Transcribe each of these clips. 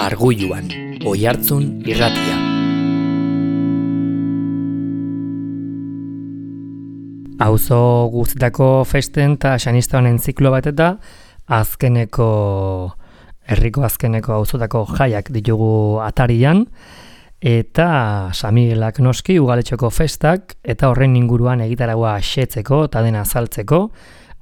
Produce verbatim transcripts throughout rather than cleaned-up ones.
Argulluan, Oihartzun irratia. Auzo guztietako festen eta xanista honen ziklo bat eta azkeneko, herriko azkeneko auzotako jaiak ditugu atarian, eta San Miguelak noski ugaletxoko festak eta horren inguruan egitaragua xetzeko eta dena azaltzeko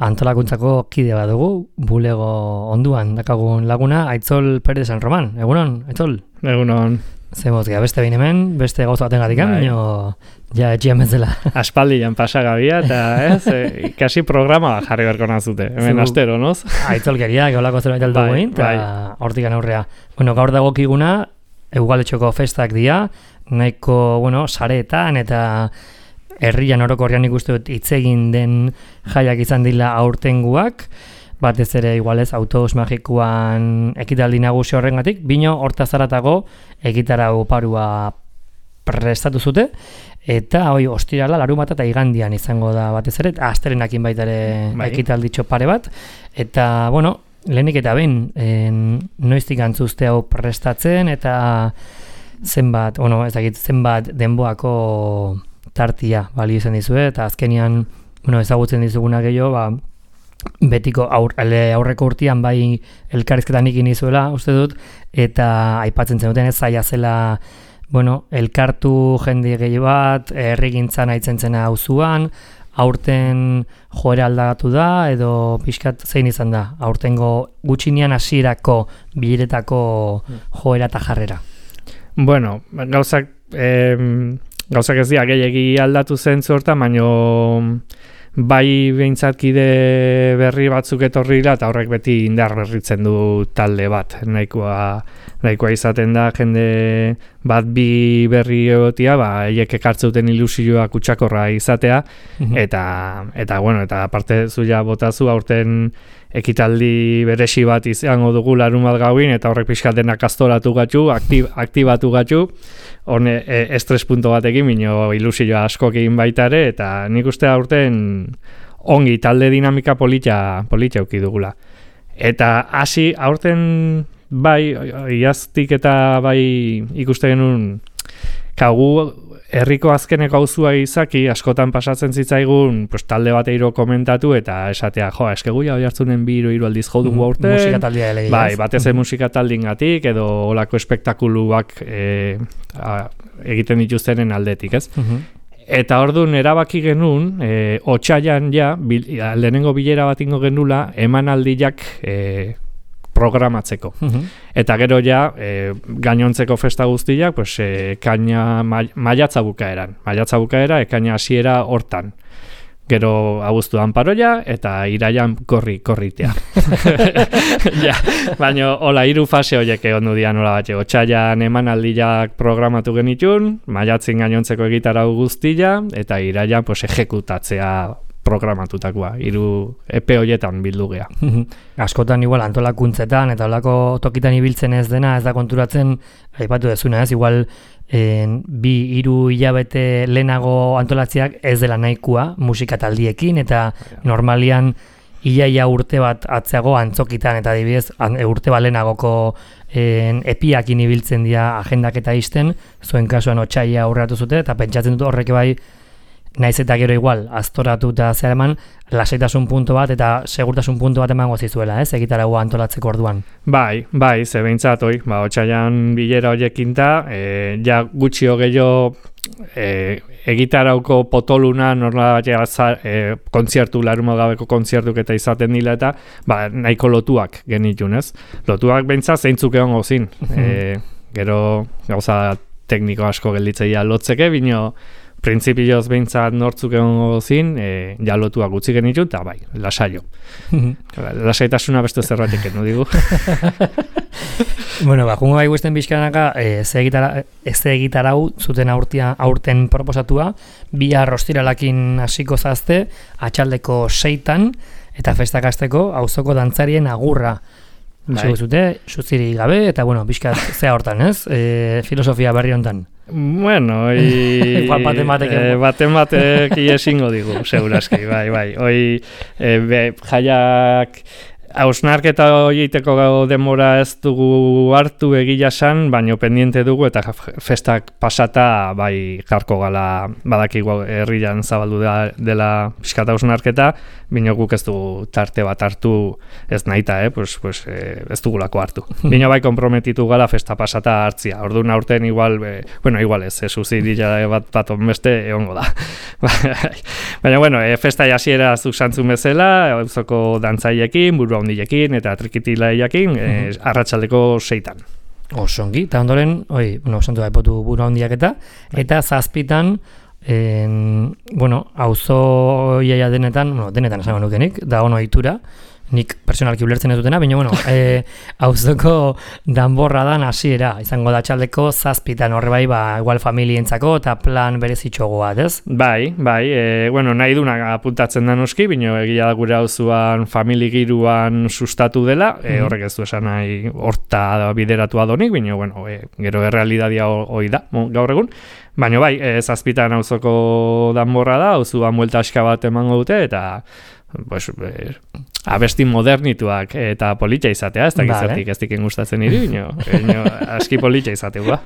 antolakuntzako kide bat dugu, bulego onduan dakagun laguna, Aitzol Pérez San Roman. Egunon, Aitzol? Egunon. Zemozkia, beste behin hemen, beste gauza baten gatikan, baina ja etxian bezala. Aspaldian pasagabia, eta ez, e, kasi programa jarri berko nazute, hemen astero, noz? Aitzolkeria, geolako zerbait aldo bai, guin, eta bai. hortikan aurrea. Bueno, gaur dagokiguna, ugaletxoko festak dira, nahiko, bueno, sareetan eta herrian orokorrean ikuste dut hitz egin den jaiak izan dila aurtenguak, batez ere igualez autobus magikoan ekitaldi nagusi horrengatik, bino hortaz haratago egitarau parua prestatu zute, eta hoi ostirala, larunbata eta igandian izango da batez ere, astelenakin baita ere bai. ekitalditxo pare bat, eta, bueno, lehenik eta behin, en, noiztik antzuzte hau prestatzen, eta zenbat, bueno, ez dakit, zenbat denboako tartia balio izan dizue, eta azkenian, bueno, ezagutzen dizuguna gehiago, ba, betiko aur, aurreko urtean bai elkarrizketan ikin izuela, uste dut, eta aipatzen zenuten ez zaila zela, bueno, elkartu jende gehi bat, herrigintzan aitzen zena auzuan, aurten joera aldagatu da, edo pixkat zein izan da, aurtengo gutxinean hasierako bileretako joera eta jarrera. Bueno, gauzak, eh, gauzak ez dira gehiagi aldatu zen zorta, baino bai behintzakide berri batzuk etorrira eta horrek beti indar berritzen du talde bat. Nahikoa, nahikoa izaten da jende bat bi berri egotia, ba, eiek ekartzeuten ilusioa kutsakorra izatea, mm-hmm. eta, eta, bueno, eta aparte zuia botazu aurten ekitaldi beresi bat izango dugu larun bat gauin, eta horrek pixkat denak astoratu gatzu, aktib, aktibatu gatzu, hone e, estres punto batekin, bino ilusioa askokin baita ere, eta nik uste aurten ongi talde dinamika polita, polita euki dugula. Eta hasi aurten bai, iaztik eta bai ikuste genuen, kagu herriko azkeneko auzua izaki, askotan pasatzen zitzaigun, pues, talde bateiro komentatu eta esatea, jo, eskegu ja Oihartzunen bi hiru aldiz jo dugu aurten. Musika taldea elegia. Bai, batez ere musika taldingatik edo olako espektakuluak e, a, egiten dituztenen aldetik, ez? Uh-huh. Eta orduan erabaki genuen, e, otsailan ja, bil, lehenengo bilera bat ingo genula, emanaldiak e, programatzeko. Uh-huh. Eta gero ja, e, gainontzeko festa guztiak, pues, e, kaina ma, maiatza bukaeran. Maiatza bukaera, ekaina hasiera hortan. Gero abuztuan paroia, eta iraian korri, korritea. Ja, baina hola, hiru fase horiek egon du dian hola batxe. Otsailan emanaldiak programatu genitun, maiatzin gainontzeko egitarau guztia, eta iraian pues, ejekutatzea programatutakoa, hiru epe horietan bildu gea. Askotan igual antolakuntzetan eta holako tokitan ibiltzen ez dena, ez da konturatzen, aipatu dezuna ez, igual en, bi hiru hilabete lehenago antolatziak ez dela nahikoa musika taldiekin, eta normalian iaia urte bat atzeago antzokitan, eta adibidez urte bat lehenagoko en, epiakin ibiltzen dira agendak eta izten, zuen kasuan otsaila aurreratu zute, eta pentsatzen dut horrek bai naiz eta gero igual, aztoratu eta zer eman, lasaitasun puntu bat eta segurtasun puntu bat emango zizuela, ez, egitaragua antolatzeko orduan. Bai, bai, ze behintzat, oi, ba, otsailan bilera horiekinta, e, ja gutxi gehiago e, egitarauko potoluna, norla bat e, kontzertu, larumagabeko kontzertuk eta izaten dila eta, ba, nahiko lotuak genitun, ez? Lotuak behintzat zeintzuk egon gozin. e, gero, gauza tekniko asko gelditzeia lotzeke, bino, printzipioz behintzat nortzuk egon zin, e, jalotuak gutxi genitu, eta bai, lasaio. Lasaitasuna beste zerbatik enu digu. Bueno, ba, jungo bai guztien bizkanaka, e, ze egitarau zuten aurtia, aurten proposatua, bihar ostiralakin hasiko zazte, atxaldeko seitan, eta festak hasteko auzoko dantzarien agurra. Bai. Zute, suziri gabe, eta bueno, bizkat zea hortan, ez? E, filosofia berri hontan. Bueno, oi... baten batek... E, baten batek iesingo digu, seguraski, bai, bai. Oi, e, be, jaiak hausnarketa horieteko denbora ez dugu hartu egia san, baino pendiente dugu eta festak pasata bai jarko gala badakigu herrian zabaldu da, dela pixkat hausnarketa, bino guk ez dugu tarte bat hartu ez nahita, eh? pues, pues, eh, ez dugulako hartu. Bino bai komprometitu gala festa pasata hartzia, orduan aurten igual, eh, bueno, igual ez, ez uzidila bat bat onbeste egongo da. Baina, bueno, eh, festa jasiera zuk santzun bezala, auzoko dantzailekin, burua hundilekin eta trikitilaiakin, eh, arratsaldeko seitan. Osongi, eta ondoren, oi, bueno, santu da epotu burua hundiak eta, eta zazpitan, en, bueno, auzo iaia denetan, bueno, denetan esango nukenik, da ono itura, nik personalki ulertzen ez dutena, baina, bueno, e, auzoko danborra dan hasiera izango da txaldeko zazpitan, horre bai, ba, igual familientzako eta plan berezitxogo bat, ez? Bai, bai, e, bueno, nahi duna apuntatzen da noski, bino egia da gure auzuan famili giruan sustatu dela, e, horrek ez du esan nahi horta bideratu adonik, bino, bueno, e, gero errealidadia hoi da, gaur egun. Baina bai, e, zazpitan auzoko danborra da, auzuan buelta aska bat emango dute, eta pues, eh, abesti modernituak eta politxa izatea, ez dakit zertik ez diken gustatzen niri, bino, aski politxa izatea.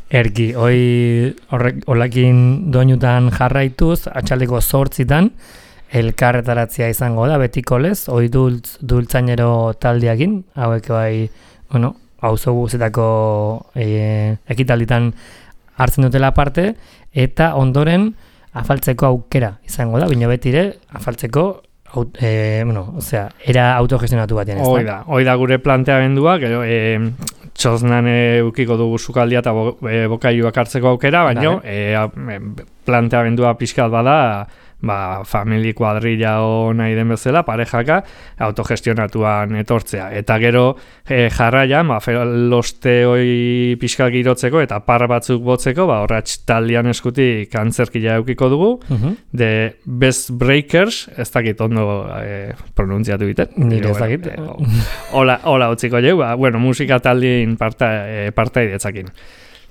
Erki, hoi horrekin doinutan jarraituz, atxaldeko zortzitan, elkarretaratzea izango da, betiko lez, hoi dultz, dultzainero taldeakin, hauek bai, bueno, auzo guzetako e, ekitalditan hartzen dutela parte, eta ondoren afaltzeko aukera izango da, bino betire afaltzeko Aut, eh, bueno, o sea, era autogestionatu batean, ez da? Hoi da, hoi da gure planteamendua, gero eh, txosnan eukiko dugu sukaldia eta bo, e, bokaiuak hartzeko aukera, baina e, planteamendua pixkat bada, ba, famili kuadrilla o nahi den bezala, parejaka, autogestionatuan etortzea. Eta gero e, jarraian, ba, loste hoi pixkat girotzeko eta par batzuk botzeko, ba, horratx taldean eskutik antzerkia eukiko dugu, uh-huh. de Best Breakers, ez dakit ondo e, pronuntziatu biten. Nire ez dakit. Bueno, e, hola, hola utziko jau, ba, bueno, musika taldien parta, e, partaidetzakin.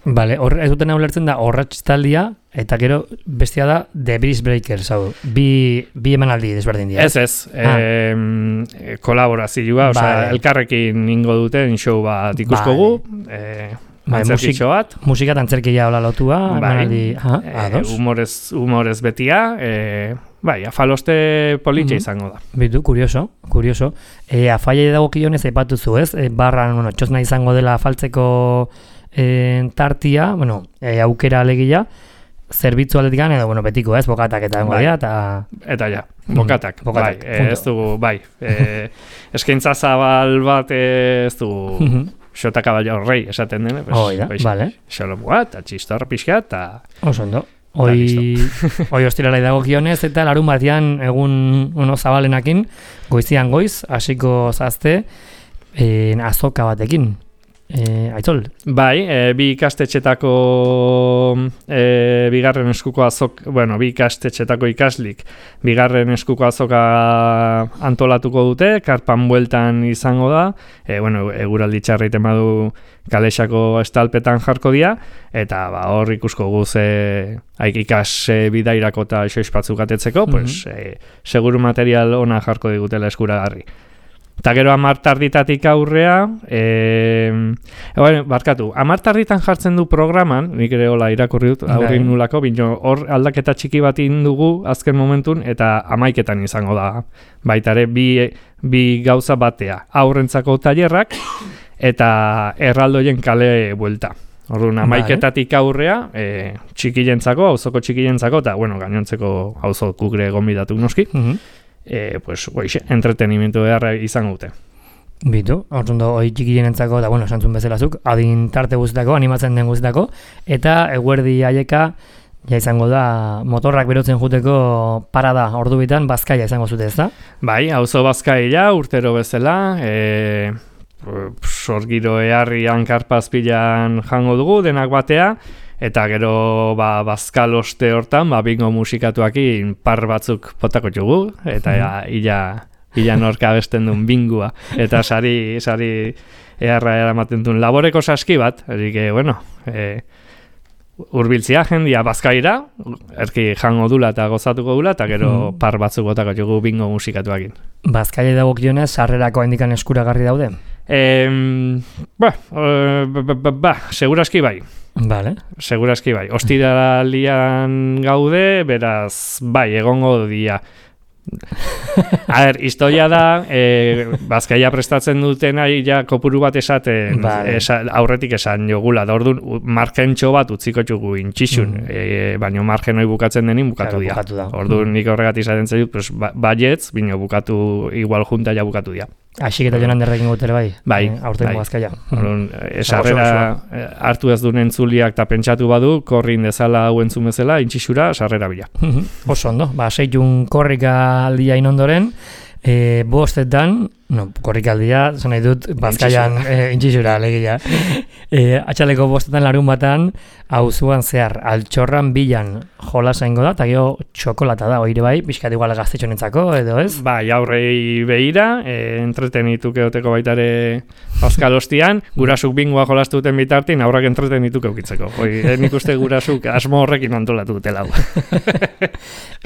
Vale, hor, ez duten ulertzen da horratx taldia, eta gero bestia da The Bridge Breakers, hau, bi, bi emanaldi desberdin dira. Ez, ez, ah. e, kolaborazioa, vale. Osea, elkarrekin ingo duten show bat ikuskogu, vale. e, antzerkitxo bat. Musika eta antzerkia hola lotua, emanaldi, ah, e, humorez, humorez betia, e, bai, afaloste politxe mm-hmm. izango da. Bitu, kurioso, kurioso. E, afaia dago kionez epatuzu, ez? E, barran, bueno, txosna izango dela afaltzeko E, tartia, bueno, e, aukera alegia, zerbitzu aldetikan, edo, bueno, betiko ez, bokatak eta dengo dira, eta... Eta ja, bokatak, mm, bokatak bai, e, ez dugu, bai, e, eskaintza zabal bat ez dugu, xota kaballo rei esaten dene, pues, oh, da, pues, vale. Xolomua, eta txistor pixka, eta... Osondo. Hoi, hoi ostiralai dago kionez, eta larun batean egun uno zabalenakin, goizian goiz, hasiko zazte, e, azoka batekin. E, aitzol? Bai, e, bi ikastetxetako e, bigarren eskuko azok, bueno, bi ikastetxetako ikaslik bigarren eskuko azoka antolatuko dute, karpan bueltan izango da, e, bueno, eguraldi txarreiten badu kalexako estalpetan jarko dira, eta ba, hor ikusko guze haik ikas e, bidairako eta xoizpatzuk atetzeko, mm-hmm. pues, e, seguru material ona jarko digutela eskuragarri. Eta gero amartarditatik aurrea, e, bueno, barkatu, amartarditan jartzen du programan, nik ere hola irakurri dut, aurrin nulako, bino hor aldaketa txiki bat indugu azken momentun, eta amaiketan izango da. Baita ere, bi, bi gauza batea, aurrentzako tailerrak, eta erraldoien kale buelta. Orduan, amaiketatik aurrea, e, txikilentzako, auzoko txikilentzako, eta, bueno, gainontzeko auzokuk ere gonbidatu noski, uh-huh. E, pues, goixe, entretenimentu beharra izango dute. Bitu, ordundo, hoi txikienentzako, da, bueno, esantzun bezalazuk, adin tarte guztako, animatzen den guztako, eta eguerdi haieka, ja izango da, motorrak berotzen juteko parada ordu bitan, bazkaia izango zute, ez da? Bai, auzo bazkaia, urtero bezala, e, sorgiro eharrian karpazpilan jango dugu, denak batea, eta gero ba, bazkal oste hortan, ba, bingo musikatuakin par batzuk potako jugu, eta ja, ila, ila norka abesten duen bingua, eta sari, sari eharra eramaten duen laboreko saski bat, erik, bueno, e, urbiltzia jendia bazkaira, erki jango dula eta gozatuko dula, eta gero Mhm. par batzuk botako jugu bingo musikatuakin. Bazkaile dagokionez, sarrerako indikan eskuragarri daude? Em, ba, eh, ba, ba, ba, ba, seguraski bai. Vale. Seguraski bai. Ostiralian gaude, beraz, bai, egongo dia. A ber, historia da, e, Bazkaia prestatzen duten ari ja kopuru bat esaten, Vale. esa, aurretik esan jogula, da orduan u- margentxo bat utziko txugu intxixun, Mm. e, baino margen hori bukatzen denin bukatu Claro, dia. bukatu da. Orduan nik horregatik izaten zaitut, pues, ba, baietz, bino bukatu, igual junta ja bukatu dia. Aixik eta joan derrekin gutera bai? Bai, Eh, aurtengo bai. Bazkaia. Orduan, e, sarrera e, hartu ez duen entzuliak eta pentsatu badu, korrin dezala hau entzun bezala, intxixura, sarrera bila. Oso ondo, ba, seitun korrika aldia inondoren, e, bostetan, no, korrika aldia, zan nahi dut, Bazkaian e, intxixura, legia. E, atxaleko bostetan larun batan, auzuan zehar, altxorran bilan jolasa ingo da, eta gero txokolata da, oire bai, pixkat igual gaztetxonentzako, edo ez? Bai, aurrei behira, e, entretenituke oteko baitare Bazkalostian, gurasuk bingoa jolastu duten bitartin, aurrak entretenituke eukitzeko. Hoi, eh, nik uste gurasuk asmo horrekin antolatu dutela hau.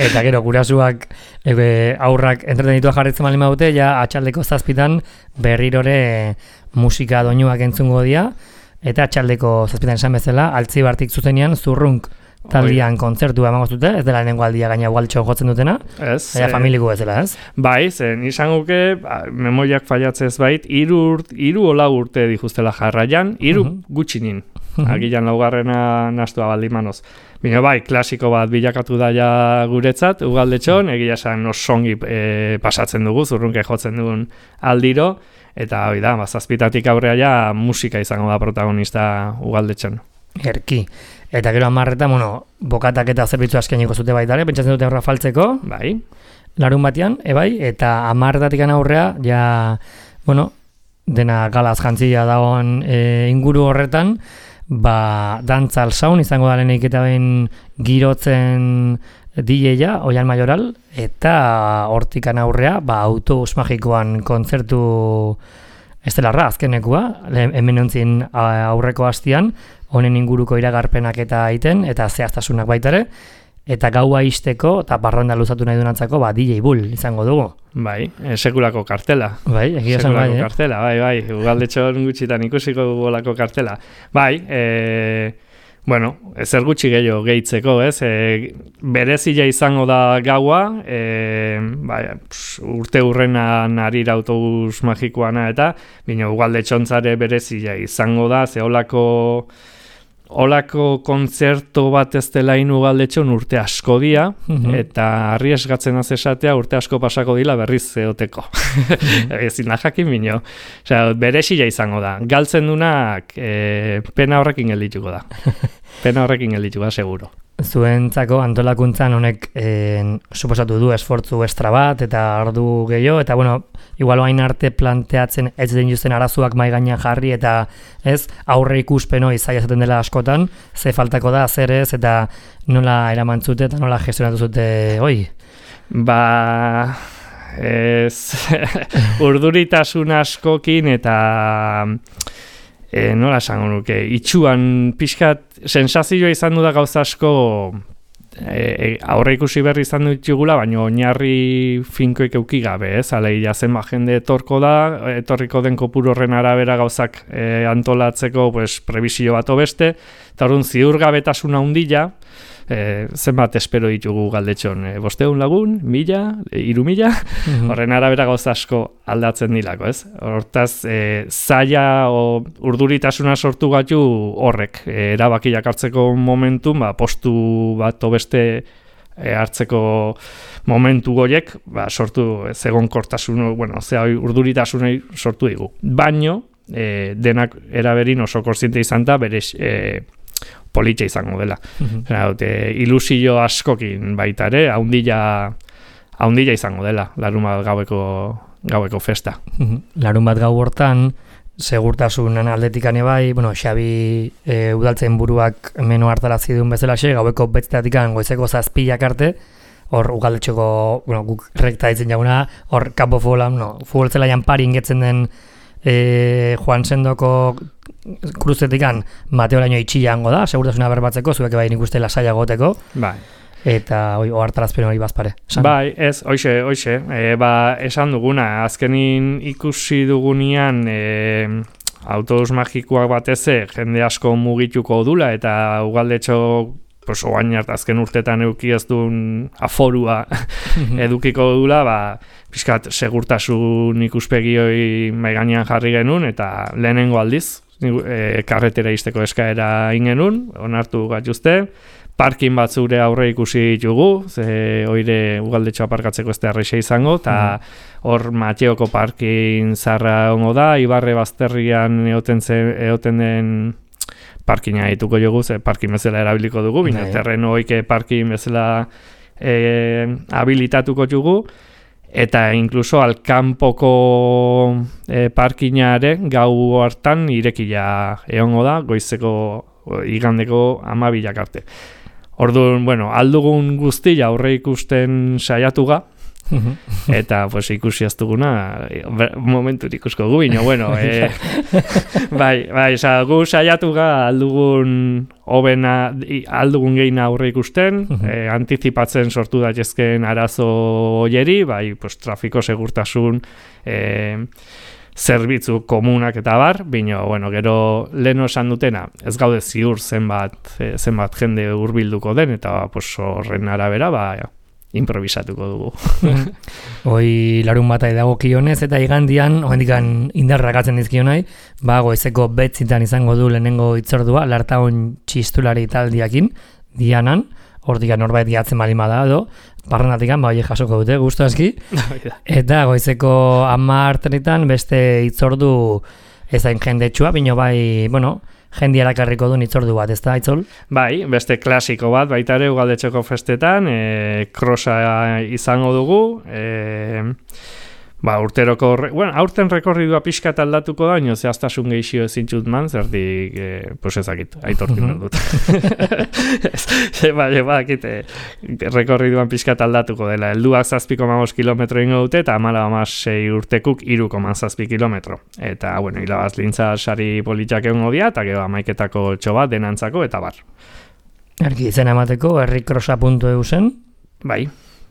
Eta gero, gurasuak e, aurrak entretenitua jarritzen bali maute, ja atxaldeko zazpitan berrirore musika doinuak entzungo dia, eta atxaldeko zazpitan esan bezala, altzibartik zuzenean zurrunk taldian kontzertua emango zute, ez dela lehenengo aldia gaina ugaltxo jotzen dutena, Ez? eta eh, familiko ez dela, ez? Bai, zen izan guke, ba, memoiak fallatzez bait, iru, urt, iru ola urte dijuztela jarraian, iru Mhm. gutxinin. Agilan laugarrena nastua baldimanoz. Bino bai, klasiko bat bilakatu da ja guretzat, ugaldetxon, egia esan osongi e, pasatzen dugu, zurrunke jotzen dugun aldiro, eta hoi da, bazazpitatik aurrea ja musika izango da protagonista ugaldetxon. Erki. Eta gero amarretan, bueno, bokatak eta zerbitzu askeniko zute baitare, pentsatzen dute aurra faltzeko, Bai, larun batean, ebai, eta amarretatik aurrea, ja, bueno, dena galaz jantzia dagoen e, inguru horretan, ba, dantza alzaun izango da lehenik eta behin girotzen D J-a, Oian Mayoral, eta hortikan aurrea, ba, autobus magikoan kontzertu estelarra azkenekua, le- hemen ontzin a- aurreko hastian, honen inguruko iragarpenak eta aiten, eta zehaztasunak baitare, eta gaua isteko, eta barranda luzatu nahi dunantzako, ba, D J Bull izango dugu. bai, e, sekulako kartela. Bai, egia esan Sekulako bai, eh? kartela, bai, bai, ugaldetxon gutxitan ikusiko dugolako kartela. Bai, e, bueno, zer gutxi gehiago gehitzeko, ez? E, berezia izango da gaua, e, bai, ps, urte hurrenan arira autobus magikoana eta, bino ugaldetxontzare berezia izango da, ze olako... Olako kontzerto bat ez dela ugaldetxon urte asko dia, Mhm. eta arriesgatzen az esatea urte asko pasako dila berriz zeoteko. Ezin da jakin bino. Osea, berezia izango da. Galtzen dunak e, pena horrekin geldituko da. Pena horrekin geldituko da, seguro. Zuentzako antolakuntzan honek eh, suposatu du esfortzu estra bat eta ordu gehiago, eta bueno, igual hain arte planteatzen ez den justen arazoak mai gainean jarri eta ez aurre ikuspeno izaia zaten dela askotan, ze faltako da, zer ez, eta nola eraman zute eta nola gestionatu zute hoi. Ba... Ez... urduritasun askokin eta... E, nola esango nuke, itxuan pixkat sensazioa izan du da gauza asko e, e, aurre ikusi berri izan ditugula, baina oinarri finkoik euki gabe, ez? Alegia zenbat jende etorko da, etorriko den kopuru horren arabera gauzak e, antolatzeko pues, prebisio bat beste, eta orduan ziurgabetasun handia, e, zenbat espero ditugu galdetxon, e, bosteun lagun, mila, e, iru mila, horren arabera gauza asko aldatzen dilako, ez? Hortaz, e, zaila o urduritasuna sortu gatu horrek, e, erabakiak hartzeko momentu, ba, postu bat beste e, hartzeko momentu goiek, ba, sortu zegonkortasun, bueno, zea urduritasunei sortu digu. Baino, e, denak eraberin oso kontziente izan da, bere e, politxa izango dela. Mhm. Dute, ilusio askokin baita ere, haundila, haundila izango dela, larun bat gaueko, gaueko festa. Mhm. Larun bat gau hortan, segurtasunan aldetikan bai, bueno, Xabi e, udaltzen buruak menu hartarazi duen bezalaxe, gaueko betzteatikan goizeko zazpilak arte, hor ugaldetxoko, bueno, guk rekta ditzen jaguna, hor kapo futbola, no, futbol zelaian pari ingetzen den e, Juan Sendoko kruzetikan Mateoraino itxiango da, segurtasuna berbatzeko, zuek bai nik uste lasaia goteko. Bai. Eta oi, ohartarazpen hori bazpare. San. Bai, ez, hoxe, hoxe. E, ba, esan duguna, azkenin ikusi dugunean e, autobus magikoak bateze jende asko mugituko dula eta ugaldetxo pues, oain hart azken urtetan eduki ez duen aforua edukiko dula, ba, pixkat segurtasun ikuspegi hori mai gainean jarri genuen eta lehenengo aldiz, e, karretera izteko eskaera ingenun, onartu gatuzte, parkin batzure aurre ikusi ditugu, ze oire ugaldetxo aparkatzeko ez da erreixa izango, eta hor mm. Mateoko parkin zarra ongo da, Ibarre Bazterrian eoten, ze, eoten den parkina dituko jogu, ze parkin bezala erabiliko dugu, bina terreno oike parkin bezala e, habilitatuko dugu, eta inkluso alkanpoko e, parkinare gau hartan irekia egongo da, goizeko igandeko amabilak arte. Orduan, bueno, aldugun guztia aurre ikusten saiatuga, eta pues, ikusi ez duguna momentu ikusko gu, bino, bueno, e, bai, bai, sa, gu saiatuga aldugun hobena, aldugun geina aurre ikusten, e, antizipatzen sortu daitezkeen arazo hoieri, bai, pues, trafiko segurtasun, e, zerbitzu komunak eta bar, bino, bueno, gero leno esan dutena, ez gaude ziur zenbat, zenbat jende hurbilduko den, eta pues, horren arabera, ba, improvisatuko dugu. Hoi larun bata edagokionez, eta igandian, oendikan indarrakatzen dizkionai, ba, goizeko betzitan izango du lehenengo itzordua, Lartaon txistulari taldiakin, dianan, hortik norbait gehatzen balima da, edo, barrenatikan, ba, jasoko dute, guztu aski. Eta goizeko amartenitan beste itzordu ezain jendetsua, bino bai, bueno, jendi erakarriko duen itzordu bat, ez da, Aitzol? Bai, beste klasiko bat, baita ere ugaldetxeko festetan, e, krosa izango dugu, e, ba, urteroko, bueno, aurten rekorridua pixka aldatuko da, ino zehaztasun gehixio ezintxut man, zertik, e, pues ezakit, aitortu uh-huh. dut. Ba, ba, akite, rekorriduan pixka aldatuko dela, helduak zazpiko mamos kilometro ingo dute, eta amala amasei urtekuk iruko zazpi kilometro. Eta, bueno, hilabaz lintza sari politiak egon dia, eta gero amaiketako txobat denantzako, eta bar. Erki izena emateko, herrikrosa puntu eu zen. Bai.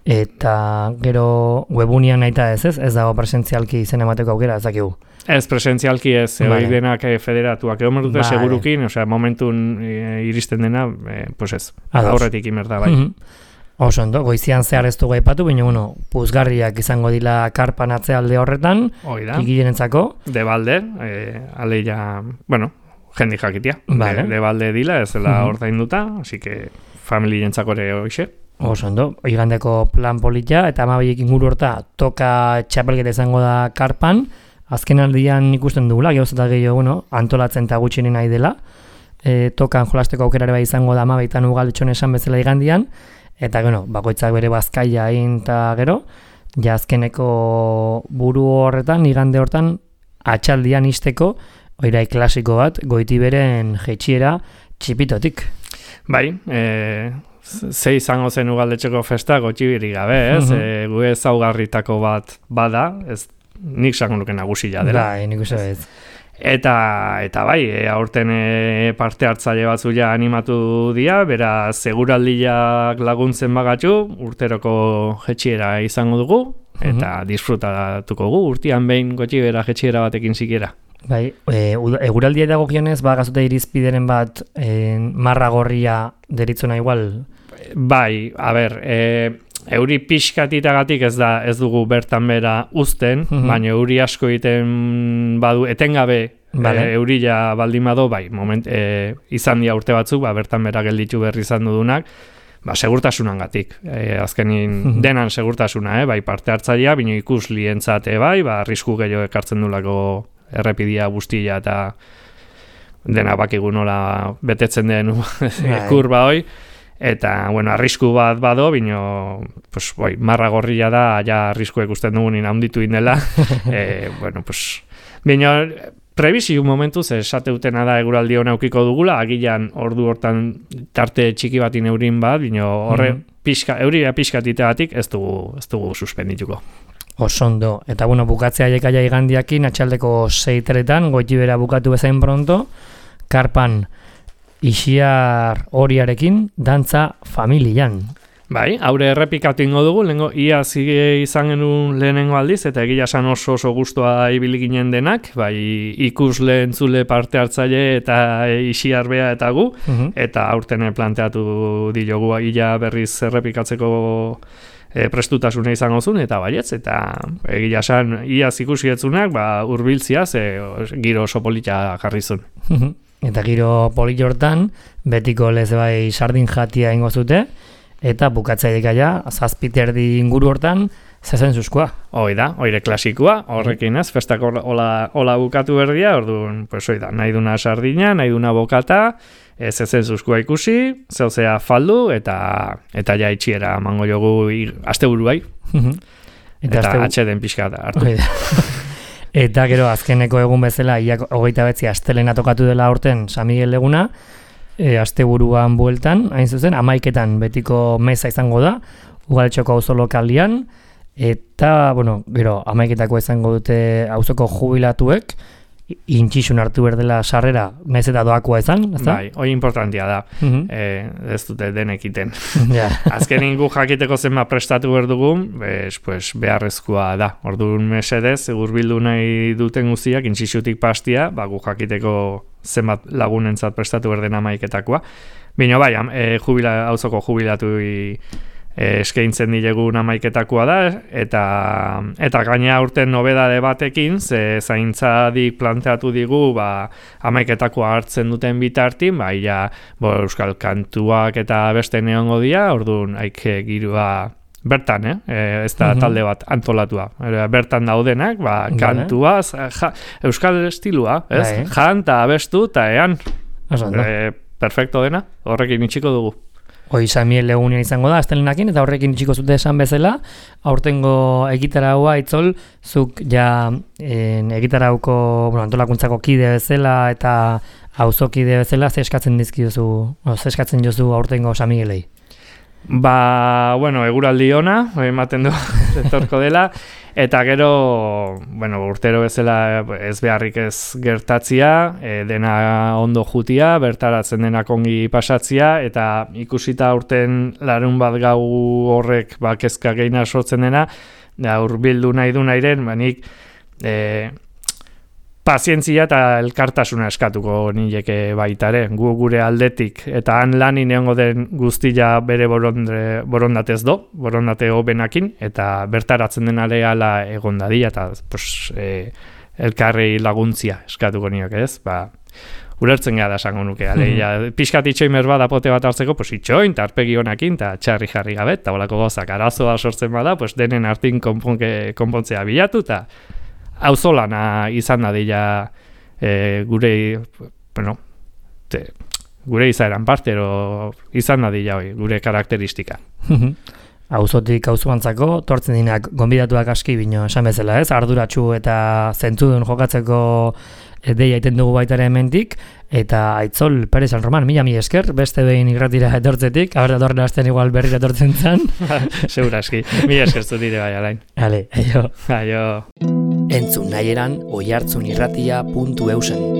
Eta gero webunian naita ez ez, ez dago presentzialki izen emateko aukera, ez dakigu. Ez, presentzialki ez, vale. Hori denak federatuak egon dute vale. Segurukin, osea, momentun e, iristen dena, e, pues ez, aurretik imerda, bai. Mm-hmm. Oso ondo, goizian zehar ez dugu aipatu, baina, bueno, puzgarriak izango dila karpan atzealde horretan, ikilenentzako. De balde, e, aleia, bueno, jendi jakitia, vale. de, de balde dila, ez dela mm-hmm. ordainduta, así que familientzako ere hoxe. Oso ondo, igandeko plan polita, eta amabiek inguru horta toka txapelketa izango da karpan, azken aldian ikusten dugula, gehoz eta gehiago, bueno, antolatzen eta gutxinen nahi dela, e, tokan jolasteko aukerare bai izango da amabietan ugaldetxon esan bezala igandian, eta bueno, bakoitzak bere bazkaia egin eta gero, ja azkeneko buru horretan, igande hortan, atxaldian isteko, oirai klasiko bat, goiti beren jetxiera txipitotik. Bai, eh... Ze izango zen ugaldetxeko festa gotxibiri gabe, ez? Uh-huh. E, gu ezaugarritako bat bada, ez nik zango nuke nagusia dela. Bai, nik uste ez. Eta, eta bai, e, aurten e, parte hartzaile batzu ja animatu dira, bera seguraldiak laguntzen bagatu, urteroko jetxiera izango dugu, eta uh-huh. disfrutatuko gu, urtean behin gotxibera jetxiera batekin zikiera. Bai, e, eguraldia dagokionez, ba, gazute irizpideren bat e, marra gorria deritzona igual? Bai, a ber, e, euri pixkatitagatik ez da ez dugu bertan bera uzten, uh-huh. baina euri asko egiten badu, etengabe vale. e, eurila baldin badu, bai, moment, e, izan dia urte batzuk, ba, bertan bera gelditu berri izan dudunak, ba, segurtasunangatik, e, azkenin uh-huh. denan segurtasuna, eh, bai, parte hartzailea, bino ikus lientzate, bai, ba, arrisku gehiago ekartzen dulako errepidia guztia eta dena bakigu nola betetzen den kurba hoi, eta, bueno, arrisku bat bado, bino, pues, boi, marra gorria da, ja arrisku ikusten dugunin handitu indela, e, bueno, pues, bino, prebizio momentuz, esate utena da eguraldi hona aukiko dugula, agilan ordu hortan tarte txiki batin eurin bat, bino, horre, mm-hmm. pixka, euria pixkatiteatik ez dugu, ez dugu suspendituko. osondo. Eta bueno, bukatzea jekaia igandiakin, atxaldeko seiteretan, goitibera bukatu bezain pronto, karpan Ixiar horiarekin dantza familian. Bai, haure errepikatu ingo dugu, lehenko ia zige izan genuen lehenengo aldiz, eta egia esan oso oso guztua ibili ginen denak, bai ikusle entzule parte hartzaile eta Ixiar bea eta gu, uh-huh. eta aurten planteatu diogu ia berriz errepikatzeko e, prestutasuna izango zuen, eta baietz, eta egia esan iaz ikusi etzunak, ba, urbiltziaz, e, giro oso polita jarri zuen. Uh-huh. Eta giro polit hortan, betiko lez bai sardin jatia ingo zute, eta bukatzailek aia, zazpiterdi inguru hortan, zezen zuzkoa. Hoi da, oire klasikoa, horrekin ez, festak hola, hola bukatu berdia, orduan, pues hoi da, nahi duna sardina, nahi duna bokata, zezen zuzkoa ikusi, zeuzea faldu, eta eta ja itxiera mango jogu aste buruai, eta, eta atxeden pixka da hartu. Eta gero, azkeneko egun bezala, ia hogeita betzi astelena tokatu dela aurten San Miguel eguna, E, asteburuan bueltan, hain zuzen, amaiketan betiko meza izango da, Ugaltxoko auzo lokalian, eta, bueno, gero, amaiketako izango dute auzoko jubilatuek, intxixun hartu berdela sarrera, naiz eta doakoa izan, ezta? Bai, hoi importantia da, uh-huh. e, ez dute denekiten. Yeah. Azken ingu jakiteko zenba prestatu berdugun, bez, pues, beharrezkoa da. Orduan mesedez, hurbildu nahi duten guztiak, intxixutik pastia, ba, gu jakiteko zenbat lagunentzat prestatu berden amaiketakoa. Bino bai, e, jubila, auzoko jubilatu e, eskaintzen dilegun amaiketakoa da, eta eta gaina urten nobedade batekin, ze zaintzadik planteatu digu, ba, amaiketakoa hartzen duten bitartin, ba, ia, bo, euskal kantuak eta beste neongo dia, orduan, haike girua bertan, eh? E, ez da uh-huh. talde bat antolatua. Bertan daudenak, ba, kantua, ja, euskal estilua, ez? Bai. Janta, abestu, eta ean. E, perfecto dena, horrekin itxiko dugu. Hoi Samiel egunean izango da, astelenakin, eta horrekin itxiko zute esan bezala, aurtengo egitaraua itzol, zuk ja en, egitarauko bueno, antolakuntzako kide bezala eta auzokide bezala, ze eskatzen dizkiozu, o, ze eskatzen jozu aurtengo Samielei? Ba, bueno, eguraldi ona, ematen du etorko dela, eta gero, bueno, urtero bezala ez beharrik ez gertatzia, e, dena ondo jutia, bertaratzen denak ongi pasatzia, eta ikusita urten larun bat gau horrek ba, kezka gehiena sortzen dena, da hurbildu nahi du nahiren, banik, e, pazientzia eta elkartasuna eskatuko nileke baitare, gu gure aldetik, eta han lani neongo den guztia bere borondre, borondatez do, borondate hobenakin, eta bertaratzen den aleala egon dadia, eta pues, e, elkarrei laguntzia eskatuko nioke ez, ba, ulertzen gara esango nuke, aleia, pixkat itxoin merba da pote bat hartzeko, pues itxoin, eta arpegi honakin, eta txarri jarri gabe, eta bolako gozak arazoa sortzen bada, pues denen artin konponke, konpontzea bilatu, eta auzolana izan da dira e, gure, bueno, te, gure izaeran partero izan da dira hoi, gure karakteristika. Auzotik auzoantzako, tortzen dinak gonbidatuak aski bino esan bezala ez, arduratsu eta zentzudun jokatzeko deia iten dugu baitare hementik, eta Aitzol Perez San Roman, mila mi esker, beste behin irratira etortzetik, haber da torren hasten igual berrira etortzen zan. Segura aski, mila esker zu dire bai, alain. Ale, aio. Aio. Entzun nahi eran oihartzunirratia puntu eusen.